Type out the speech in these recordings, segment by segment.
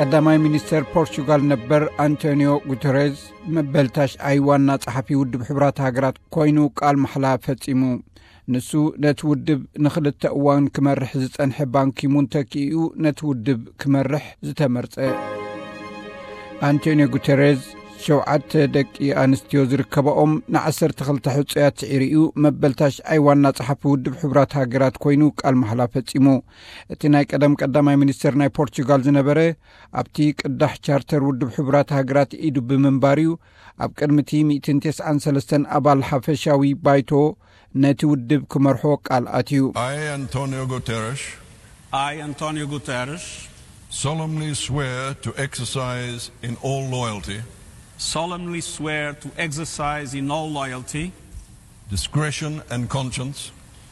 ቀዳማይ ሚኒስተር ፖርቹጋል ነበር ኣንቶኒዮ ጉተሬዝ መበል ታሽዓይ ዋና ጸሓፊ ውድብ ሕቡራት ሃገራት ኮይኑ ቃል ማሕላ ፈጺሙ። ንሱ ነቲ ውድብ ንኽልተ እዋን ክመርሕ ዝጸንሐ ባንኪሙን ተኪኡ ነቲ ውድብ ክመርሕ ዝተመርጸ። ኣንቶኒዮ ጉተሬዝ ሸውዓተ ደቂ ኣንስትዮ ዝርከባኦም ንዓሰርተ ክልተ ሕጹያት ስዒሩ እዩ መበል ታሽዓይ ዋና ጸሓፊ ውድብ ሕቡራት ሃገራት ኮይኑ ቃል ማሕላ ፈጺሙ። እቲ ናይ ቀደም ቀዳማይ ሚኒስተር ናይ ፖርቹጋል ዝነበረ ኣብቲ ቅዳሕ ቻርተር ውድብ ሕቡራት ሃገራት ኢዱ ብምንባር እዩ ኣብ ቅድሚ እቲ ሚእትን ተስዓን ሰለስተን ኣባል ሓፈሻዊ ባይቶ ነቲ ውድብ ክመርሖ ቃል ኣትዩ። I, Antonio Guterres, I, Antonio Guterres, solemnly swear to exercise in all loyalty, solemnly swear to exercise in all loyalty, discretion, and conscience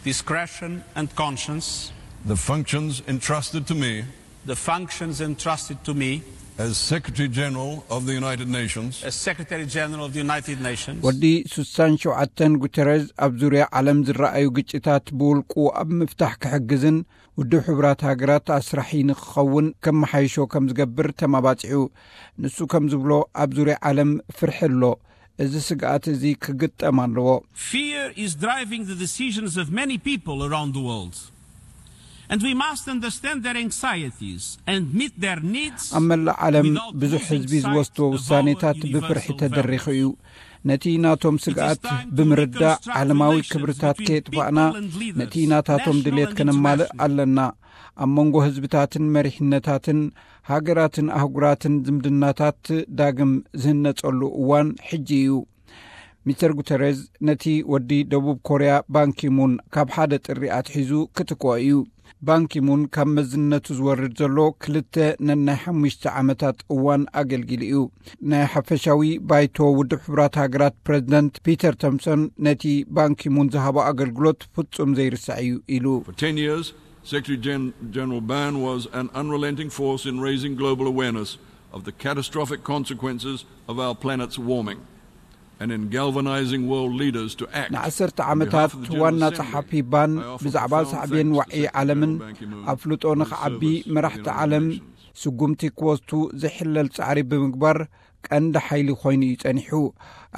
discretion, and conscience the functions entrusted to me the functions entrusted to me as Secretary General of the United Nations. As Secretary General of the United Nations. ወዲ ሱሳን ሸውዓተን ጉተረዝ ኣብ ዙርያ ዓለም ዝረኣዩ ግጭታት ብውልቁ ኣብ ምፍታሕ ክሕግዝን ውድብ ሕቡራት ሃገራት ኣስራሒ ንክኸውን ከመሓይሾ ከም ዝገብር ተማባጺዑ። ንሱ ከም ዝብሎ ኣብ ዙርያ ዓለም ፍርሒ ኣሎ። እዚ ስግኣት እዚ ክግጠም ኣለዎ። Fear is driving the decisions of many people around the world. And we must understand their anxieties and meet their needs. ኣብ መላእ ዓለም ብዙሕ ህዝቢ ዝወስድዎ ውሳኔታት ብፍርሒ ተደሪኹ እዩ። ነቲ ናቶም ስግኣት ብምርዳእ ዓለማዊ ክብርታት ከየጥፋእና ነቲ ናታቶም ድሌት ከነማልእ ኣለና። ኣብ መንጎ ህዝብታትን መሪሕነታትን ሃገራትን ኣህጉራትን ዝምድናታት ዳግም ዝህነጸሉ እዋን ሕጂ እዩ። ሚስተር ጉተረዝ ነቲ ወዲ ደቡብ ኮርያ ባንኪሙን ካብ ሓደ ጥሪ ኣትሒዙ ክትክኦ እዩ። ባንኪሙን ካብ መዝነቱ ዝወርድ ዘሎ ክልተ ነናይ ሓሙሽተ ዓመታት እዋን ኣገልጊሉ እዩ። ናይ ሓፈሻዊ ባይቶ ውድብ ሕቡራት ሃገራት ፕረዚደንት ፒተር ቶምሶን ነቲ ባንኪሙን ዝሃቦ ኣገልግሎት ፍጹም ዘይርሳዕ እዩ ኢሉ። For ten years, Secretary Gen- General Ban was an unrelenting force in raising global awareness of the catastrophic consequences of our planet's warming and in galvanizing world leaders to act. ንዓሰርተ ዓመታት ዋና ጸሓፊ ባን ብዛዕባ ሳዕቤን ዋዒ ዓለምን ኣፍልጦ ንኽዓቢ መራሕቲ ዓለም ስጉምቲ ክወስዱ ዘይሕለል ጻዕሪ ብምግባር ቀንዲ ሓይሊ ኮይኑ እዩ ጸኒሑ።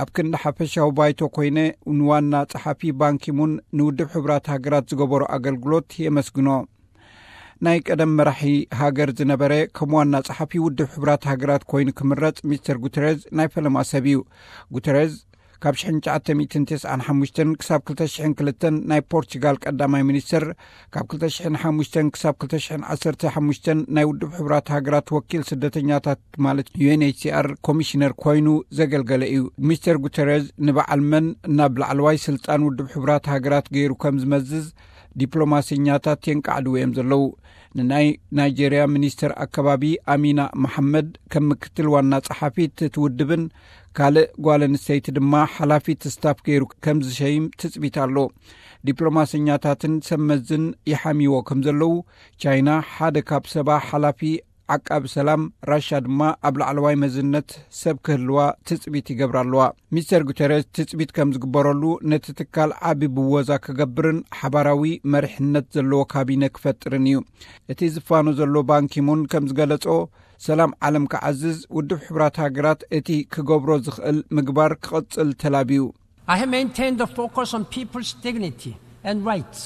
ኣብ ክንዲ ሓፈሻዊ ባይቶ ኮይነ ንዋና ጸሓፊ ባንኪሙን ንውድብ ሕቡራት ሃገራት ዝገበሮ ኣገልግሎት የመስግኖ። ናይ ቀደም መራሒ ሃገር ዝነበረ ከም ዋና ጸሓፊ ውድብ ሕቡራት ሃገራት ኮይኑ ክምረጽ ሚስተር ጉተረዝ ናይ ፈለማ ሰብ እዩ። ጉተረዝ ካብ ሽሕን ትሽዓተ ሚእትን ተስዓን ሓሙሽተን ክሳብ ክልተ ሽሕን ክልተን ናይ ፖርቹጋል ቀዳማይ ሚኒስተር፣ ካብ ክልተ ሽሕን ሓሙሽተን ክሳብ ክልተ ሽሕን ዓሰርተ ሓሙሽተን ናይ ውድብ ሕቡራት ሃገራት ወኪል ስደተኛታት ማለት ዩ ኤን ኤች ሲ ኣር ኮሚሽነር ኮይኑ ዘገልገለ እዩ። ሚስተር ጉተረዝ ንበዓል መን ናብ ላዕለዋይ ስልጣን ውድብ ሕቡራት ሃገራት ገይሩ ከም ዝመዝዝ ዲፕሎማሰኛታት የንቃዕድዎ እዮም ዘለዉ። ንናይ ናይጄርያ ሚኒስተር ኣከባቢ ኣሚና መሓመድ ከም ምክትል ዋና ጸሓፊት እቲ ውድብን ካልእ ጓል ኣንስተይቲ ድማ ሓላፊት ስታፍ ገይሩ ከም ዝሸይም ትጽቢት ኣሎ። ዲፕሎማሰኛታትን ሰብ መዝን ይሓምይዎ ከም ዘለዉ፣ ቻይና ሓደ ካብ ሰባ ሓላፊ ዓቃቢ ሰላም፣ ራሻ ድማ ኣብ ላዕለዋይ መዝነት ሰብ ክህልዋ ትጽቢት ይገብራ ኣለዋ። ሚስተር ጉተረዝ ትጽቢት ከም ዝግበረሉ ነቲ ትካል ዓቢ ብወዛ ክገብርን ሓባራዊ መሪሕነት ዘለዎ ካቢነ ክፈጥርን እዩ። እቲ ዝፋኖ ዘሎ ባንኪሙን ከም ዝገለጾ፣ ሰላም ዓለም ክዓዝዝ ውድብ ሕቡራት ሃገራት እቲ ክገብሮ ዝኽእል ምግባር ክቕጽል ተላብዩ። I have maintained the focus on people's dignity and rights,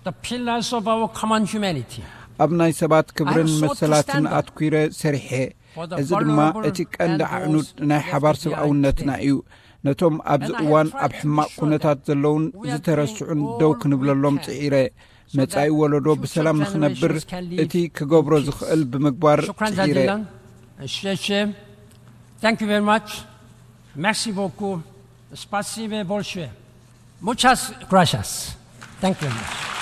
the pillars of our common humanity. ኣብ ናይ ሰባት ክብርን መሰላትን ኣትኲረ ሰሪሐ። እዚ ድማ እቲ ቀንዲ ኣዕኑድ ናይ ሓባር ሰብኣውነትና እዩ። ነቶም ኣብዚ እዋን ኣብ ሕማቕ ኩነታት ዘለውን ዝተረስዑን ደው ክንብለሎም ጽዒረ። መጻኢ ወለዶ ብሰላም ንኽነብር እቲ ክገብሮ ዝኽእል ብምግባር ጽዒረ። Thank you very much. Merci beaucoup. Спасибо большое. Muchas gracias. Thank you very much.